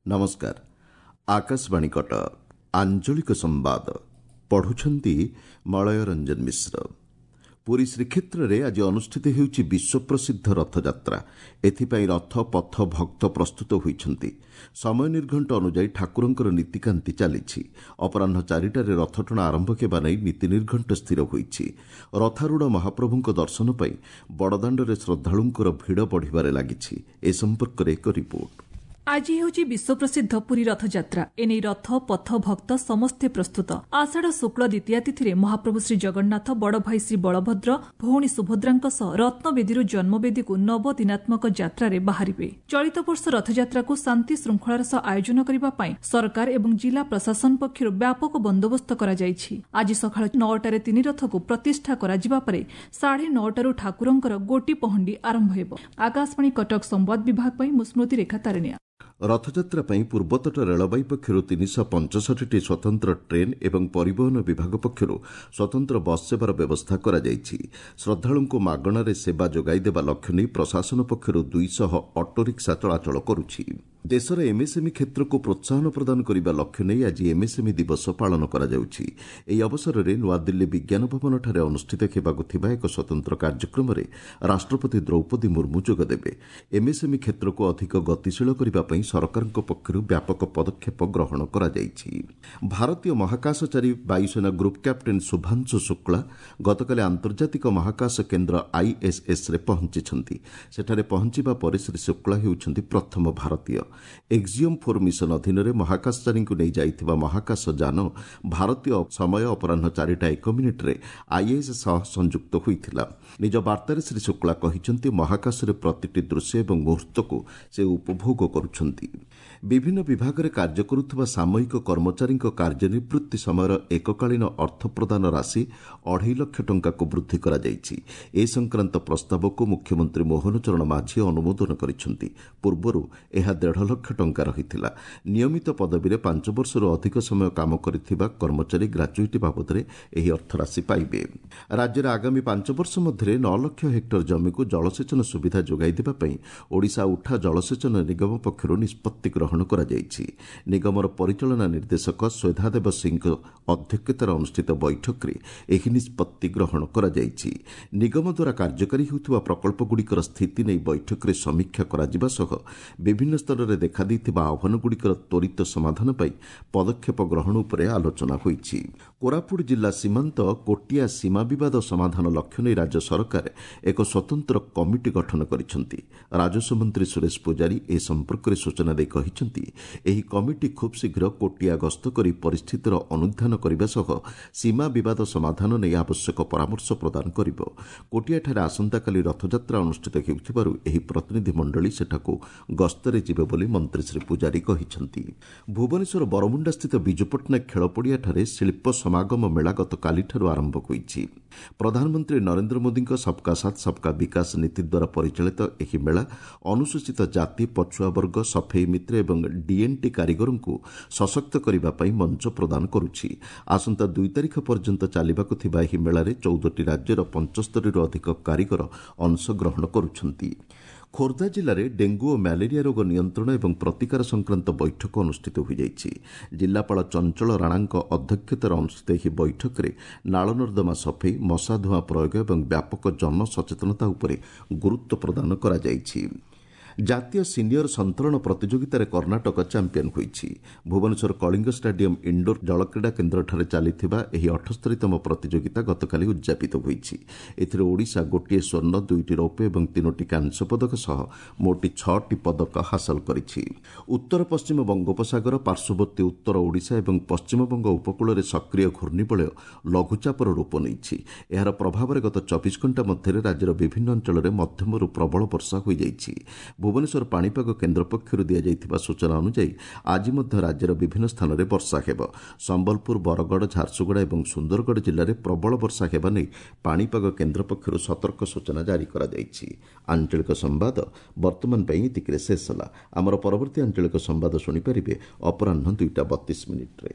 ନମସ୍କାର, ଆକାଶବାଣୀ କଟକ। ଆଞ୍ଚଳିକ ସମ୍ବାଦ ପଢୁଛନ୍ତି ମଳୟ ରଞ୍ଜନ ମିଶ୍ର। ପୁରୀ ଶ୍ରୀକ୍ଷେତ୍ରରେ ଆଜି ଅନୁଷ୍ଠିତ ହେଉଛି ବିଶ୍ୱପ୍ରସିଦ୍ଧ ରଥଯାତ୍ରା। ଏଥିପାଇଁ ରଥ, ପଥ, ଭକ୍ତ ପ୍ରସ୍ତୁତ ହୋଇଛନ୍ତି। ସମୟ ନିର୍ଘଣ୍ଟ ଅନୁଯାୟୀ ଠାକୁରଙ୍କର ନୀତିକାନ୍ତି ଚାଲିଛି। ଅପରାହ୍ନ 4ଟାରେ ରଥଟଣା ଆରମ୍ଭ ହେବା ନେଇ ନୀତି ନିର୍ଘଣ୍ଟ ସ୍ଥିର ହୋଇଛି। ରଥାରୂଢ଼ ମହାପ୍ରଭୁଙ୍କ ଦର୍ଶନ ପାଇଁ ବଡ଼ଦାଣ୍ଡରେ ଶ୍ରଦ୍ଧାଳୁଙ୍କର ଭିଡ଼ ବଢ଼ିବାରେ ଲାଗିଛି। ଏ ସମ୍ପର୍କରେ ଏକ ରିପୋର୍ଟ। ଆଜି ହେଉଛି ବିଶ୍ୱପ୍ରସିଦ୍ଧ ପୁରୀ ରଥଯାତ୍ରା। ଏନେଇ ରଥ, ପଥ, ଭକ୍ତ ସମସ୍ତେ ପ୍ରସ୍ତୁତ। ଆଷାଢ଼ ଶୁକ୍ଳ ଦ୍ୱିତୀୟା ତିଥିରେ ମହାପ୍ରଭୁ ଶ୍ରୀଜଗନ୍ନାଥ ବଡ଼ଭାଇ ଶ୍ରୀ ବଳଭଦ୍ର, ଭଉଣୀ ସୁଭଦ୍ରାଙ୍କ ସହ ରତ୍ନବେଦୀରୁ ଜନ୍ମବେଦୀକୁ ନବଦିନାତ୍ମକ ଯାତ୍ରାରେ ବାହାରିବେ। ଚଳିତ ବର୍ଷ ରଥଯାତ୍ରାକୁ ଶାନ୍ତି ଶୃଙ୍ଖଳାର ସହ ଆୟୋଜନ କରିବା ପାଇଁ ସରକାର ଏବଂ ଜିଲ୍ଲା ପ୍ରଶାସନ ପକ୍ଷରୁ ବ୍ୟାପକ ବନ୍ଦୋବସ୍ତ କରାଯାଇଛି। ଆଜି ସକାଳ 9ଟାରେ ତିନି ରଥକୁ ପ୍ରତିଷ୍ଠା କରାଯିବା ପରେ 9:30ରୁ ଠାକୁରଙ୍କର ଗୋଟି ପହଣ୍ଡି ଆରମ୍ଭ ହେବ। ଆକାଶବାଣୀ କଟକ ସମ୍ବାଦ ବିଭାଗ ପାଇଁ ମୁଁ ସ୍ମୃତିରେଖା ତାରିଣିଆ। ରଥଯାତ୍ରା ପାଇଁ ପୂର୍ବତଟ ରେଳବାଇ ପକ୍ଷରୁ 365ଟି ସ୍ୱତନ୍ତ୍ର ଟ୍ରେନ୍ ଏବଂ ପରିବହନ ବିଭାଗ ପକ୍ଷରୁ ସ୍ୱତନ୍ତ୍ର ବସ୍ ସେବାର ବ୍ୟବସ୍ଥା କରାଯାଇଛି। ଶ୍ରଦ୍ଧାଳୁଙ୍କୁ ମାଗଣାରେ ସେବା ଯୋଗାଇ ଦେବା ଲକ୍ଷ୍ୟ ନେଇ ପ୍ରଶାସନ ପକ୍ଷରୁ 200 ଅଟୋରିକ୍ସା ଚଳାଚଳ କରୁଛି। ଦେଶର ଏମ୍ଏସ୍ଏମ୍ଇ କ୍ଷେତ୍ରକୁ ପ୍ରୋତ୍ସାହନ ପ୍ରଦାନ କରିବା ଲକ୍ଷ୍ୟ ନେଇ ଆଜି ଏମ୍ଏସ୍ଏମ୍ଇ ଦିବସ ପାଳନ କରାଯାଉଛି। ଏହି ଅବସରରେ ନୂଆଦିଲ୍ଲୀ ବିଜ୍ଞାନ ଭବନଠାରେ ଅନୁଷ୍ଠିତ ହେବାକୁ ଥିବା ଏକ ସ୍ୱତନ୍ତ୍ର କାର୍ଯ୍ୟକ୍ରମରେ ରାଷ୍ଟ୍ରପତି ଦ୍ରୌପଦୀ ମୁର୍ମୁ ଯୋଗଦେବେ। ଏମ୍ଏସ୍ଏମ୍ଇ କ୍ଷେତ୍ରକୁ ଅଧିକ ଗତିଶୀଳ କରିବା ପାଇଁ ସରକାରଙ୍କ ପକ୍ଷରୁ ବ୍ୟାପକ ପଦକ୍ଷେପ ଗ୍ରହଣ କରାଯାଇଛି। ଭାରତୀୟ ମହାକାଶଚାରୀ ବାୟୁସେନା ଗ୍ରୁପ୍ କ୍ୟାପ୍ଟେନ୍ ଶୁଭାଂଶୁ ଶୁକ୍ଳା ଗତକାଲି ଆନ୍ତର୍ଜାତିକ ମହାକାଶ କେନ୍ଦ୍ର ଆଇଏସ୍ଏସ୍ରେ ପହଞ୍ଚିଛନ୍ତି। ସେଠାରେ ପହଞ୍ଚିବା ପରେ ଶ୍ରୀ ଶୁକ୍ଳା ହେଉଛନ୍ତି ପ୍ରଥମ ଭାରତୀୟ। ଏକ୍ସିଓମ୍ 4 ମିଶନ ଅଧୀନରେ ମହାକାଶଚାରୀଙ୍କୁ ନେଇ ଯାଇଥିବା ମହାକାଶ ଯାନ ଭାରତୀୟ ସମୟ ଅପରାହ୍ନ 4ଟା 1 ମିନିଟ୍ରେ ଆଇଏସ୍ଏସ୍ ସହ ସଂଯୁକ୍ତ ହୋଇଥିଲା। ନିଜ ବାର୍ତ୍ତାରେ ଶ୍ରୀ ଶୁକ୍ଳା କହିଛନ୍ତି, ମହାକାଶରେ ପ୍ରତିଟି ଦୃଶ୍ୟ ଏବଂ ମୁହୂର୍ତ୍ତକୁ ସେ ଉପଭୋଗ କରୁଛନ୍ତି। ବିଭିନ୍ନ ବିଭାଗରେ କାର୍ଯ୍ୟ କରୁଥିବା ସାମୟିକ କର୍ମଚାରୀଙ୍କ କାର୍ଯ୍ୟନିବୃତ୍ତି ସମୟର ଏକକାଳୀନ ଅର୍ଥ ପ୍ରଦାନ ରାଶି 2.5 ଲକ୍ଷ ଟଙ୍କାକୁ ବୃଦ୍ଧି କରାଯାଇଛି। ଏ ସଂକ୍ରାନ୍ତ ପ୍ରସ୍ତାବକୁ ମୁଖ୍ୟମନ୍ତ୍ରୀ ମୋହନ ଚରଣ ମାଝୀ ଅନୁମୋଦନ କରିଛନ୍ତି। ପୂର୍ବରୁ ଏହା 1.5 ଲକ୍ଷ ଟଙ୍କା ରହିଥିଲା। ନିୟମିତ ପଦବୀରେ 5 ବର୍ଷରୁ ଅଧିକ ସମୟ କାମ କରିଥିବା କର୍ମଚାରୀ ଗ୍ରାଚୁଇଟି ବାବଦରେ ଏହି ଅର୍ଥରାଶି ପାଇବେ। ରାଜ୍ୟରେ ଆଗାମୀ 5 ବର୍ଷ ମଧ୍ୟରେ 9 ଲକ୍ଷ ହେକ୍ଟର ଜମିକୁ ଜଳସେଚନ ସୁବିଧା ଯୋଗାଇ ଦେବା ପାଇଁ ଓଡ଼ିଶା ଉଠା ଜଳସେଚନ ନିଗମ ପକ୍ଷରୁ ନିଷ୍ପତ୍ତି ଗ୍ରହଣ କରାଯାଇଛି। ନିଗମର ପରିଚାଳନା ନିର୍ଦ୍ଦେଶକ ସ୍ୱେଧାଦେବ ସିଂଙ୍କ ଅଧ୍ୟକ୍ଷତାରେ ଅନୁଷ୍ଠିତ ବୈଠକରେ ଏହି ନିଷ୍ପତ୍ତି ଗ୍ରହଣ କରାଯାଇଛି। ନିଗମ ଦ୍ୱାରା କାର୍ଯ୍ୟକାରୀ ହେଉଥିବା ପ୍ରକଳ୍ପଗୁଡ଼ିକର ସ୍ଥିତି ନେଇ ବୈଠକରେ ସମୀକ୍ଷା କରାଯିବା ସହ ବିଭିନ୍ନ ସ୍ତରରେ ଦେଖାଦେଇଥିବା ଆହ୍ୱାନଗୁଡ଼ିକର ତ୍ୱରିତ ସମାଧାନ ପାଇଁ ପଦକ୍ଷେପ ଗ୍ରହଣ ଉପରେ ଆଲୋଚନା ହୋଇଛି। କୋରାପୁଟ ଜିଲ୍ଲା ସୀମାନ୍ତ କୋଟିଆ ସୀମା ବିବାଦ ସମାଧାନ ଲକ୍ଷ୍ୟ ନେଇ ରାଜ୍ୟ ସରକାର ଏକ ସ୍ୱତନ୍ତ୍ର କମିଟି ଗଠନ କରିଛନ୍ତି। ରାଜସ୍ୱ ମନ୍ତ୍ରୀ ସୁରେଶ ପୂଜାରୀ ଏ ସମ୍ପର୍କରେ ସୂଚନା ଦେଇ କହିଛନ୍ତି, ଏହି କମିଟି ଖୁବ୍ ଶୀଘ୍ର କୋଟିଆ ଗସ୍ତ କରି ପରିସ୍ଥିତିର ଅନୁଧ୍ୟାନ କରିବା ସହ ସୀମା ବିବାଦ ସମାଧାନ ନେଇ ଆବଶ୍ୟକ ପରାମର୍ଶ ପ୍ରଦାନ କରିବ। କୋଟିଆଠାରେ ଆସନ୍ତାକାଲି ରଥଯାତ୍ରା ଅନୁଷ୍ଠିତ ହେଉଥିବାରୁ ଏହି ପ୍ରତିନିଧି ମଣ୍ଡଳୀ ସେଠାକୁ ଗସ୍ତରେ ଯିବେ ବୋଲି ମନ୍ତ୍ରୀ ଶ୍ରୀ ପୂଜାରୀ କହିଛନ୍ତି। ଭୁବନେଶ୍ୱର ବରମୁଣ୍ଡାସ୍ଥିତ ବିଜୁ ପଟ୍ଟନାୟକ ଖେଳପଡ଼ିଆଠାରେ ଶିଳ୍ପ ସମାଗମ ମେଳା ଗତକାଲିଠାରୁ ଆରମ୍ଭ ହୋଇଛି। ପ୍ରଧାନମନ୍ତ୍ରୀ ନରେନ୍ଦ୍ର ମୋଦିଙ୍କ ସବ୍କା ସାଥ୍, ସବ୍କା ବିକାଶ ନୀତି ଦ୍ୱାରା ପରିଚାଳିତ ଏହି ମେଳା ଅନୁସୂଚିତ ଜାତି, ପଛୁଆ ବର୍ଗ, ସଫେଇ ମିତ୍ର ଏବଂ ଡିଏନ୍ଟି କାରିଗରଙ୍କୁ ସଶକ୍ତ କରିବା ପାଇଁ ମଞ୍ଚ ପ୍ରଦାନ କରୁଛି। ଆସନ୍ତା 2 ତାରିଖ ପର୍ଯ୍ୟନ୍ତ ଚାଲିବାକୁ ଥିବା ଏହି ମେଳାରେ 14ଟି ରାଜ୍ୟର 75ରୁ ଅଧିକ କାରିଗର ଅଂଶଗ୍ରହଣ କରୁଛନ୍ତି। ଖୋର୍ଦ୍ଧା ଜିଲ୍ଲାରେ ଡେଙ୍ଗୁ ଓ ମ୍ୟାଲେରିଆ ରୋଗ ନିୟନ୍ତ୍ରଣ ଏବଂ ପ୍ରତିକାର ସଂକ୍ରାନ୍ତ ବୈଠକ ଅନୁଷ୍ଠିତ ହୋଇଯାଇଛି। ଜିଲ୍ଲାପାଳ ଚଞ୍ଚଳ ରାଣାଙ୍କ ଅଧ୍ୟକ୍ଷତାରେ ଅନୁଷ୍ଠିତ ଏହି ବୈଠକରେ ନାଳନର୍ଦ୍ଦମା ସଫେଇ, ମଶା ଧୂଆଁ ପ୍ରୟୋଗ ଏବଂ ବ୍ୟାପକ ଜନସଚେତନତା ଉପରେ ଗୁରୁତ୍ୱ ପ୍ରଦାନ କରାଯାଇଛି। ଜାତୀୟ ସିନିୟର ସନ୍ତରଣ ପ୍ରତିଯୋଗିତାରେ କର୍ଣ୍ଣାଟକ ଚାମ୍ପିୟନ୍ ହୋଇଛି। ଭୁବନେଶ୍ୱର କଳିଙ୍ଗ ଷ୍ଟାଡିୟମ୍ ଇଣ୍ଡୋର ଜଳକ୍ରୀଡ଼ା କେନ୍ଦ୍ରଠାରେ ଚାଲିଥିବା ଏହି 78ତମ ପ୍ରତିଯୋଗିତା ଗତକାଲି ଉଦ୍ଯାପିତ ହୋଇଛି। ଏଥିରେ ଓଡ଼ିଶା ଗୋଟିଏ ସ୍ୱର୍ଣ୍ଣ, ଦୁଇଟି ରୌପ୍ୟ ଏବଂ ତିନୋଟି କାଂସ୍ୟ ପଦକ ସହ ମୋଟ ଛଅଟି ପଦକ ହାସଲ କରିଛି। ଉତ୍ତର ପଶ୍ଚିମ ବଙ୍ଗୋପସାଗର ପାର୍ଶ୍ୱବର୍ତ୍ତୀ ଉତ୍ତର ଓଡ଼ିଶା ଏବଂ ପଶ୍ଚିମବଙ୍ଗ ଉପକୂଳରେ ସକ୍ରିୟ ଘୂର୍ଣ୍ଣିବଳୟ ଲଘୁଚାପର ରୂପ ନେଇଛି। ଏହାର ପ୍ରଭାବରେ ଗତ 24 ଘଣ୍ଟା ମଧ୍ୟରେ ରାଜ୍ୟର ବିଭିନ୍ନ ଅଞ୍ଚଳରେ ମଧ୍ୟମରୁ ପ୍ରବଳ ବର୍ଷା ହୋଇଯାଇଛି। ଭୁବନେଶ୍ୱର ପାଣିପାଗ କେନ୍ଦ୍ର ପକ୍ଷରୁ ଦିଆଯାଇଥିବା ସୂଚନା ଅନୁଯାୟୀ ଆଜି ମଧ୍ୟ ରାଜ୍ୟର ବିଭିନ୍ନ ସ୍ଥାନରେ ବର୍ଷା ହେବ। ସମ୍ବଲପୁର, ବରଗଡ଼, ଝାରସୁଗୁଡ଼ା ଏବଂ ସୁନ୍ଦରଗଡ଼ ଜିଲ୍ଲାରେ ପ୍ରବଳ ବର୍ଷା ହେବା ନେଇ ପାଣିପାଗ କେନ୍ଦ୍ର ପକ୍ଷରୁ ସତର୍କ ସୂଚନା ଜାରି କରାଯାଇଛି। ଆଞ୍ଚଳିକ ସମ୍ବାଦ ବର୍ତ୍ତମାନ ପାଇଁ ଏତିକିରେ ଶେଷ ହେଲା। ଆମର ପରବର୍ତ୍ତୀ ଆଞ୍ଚଳିକ ସମ୍ବାଦ ଶୁଣିପାରିବେ ଅପରାହ୍ନ 2ଟା 32 ମିନିଟ୍ରେ।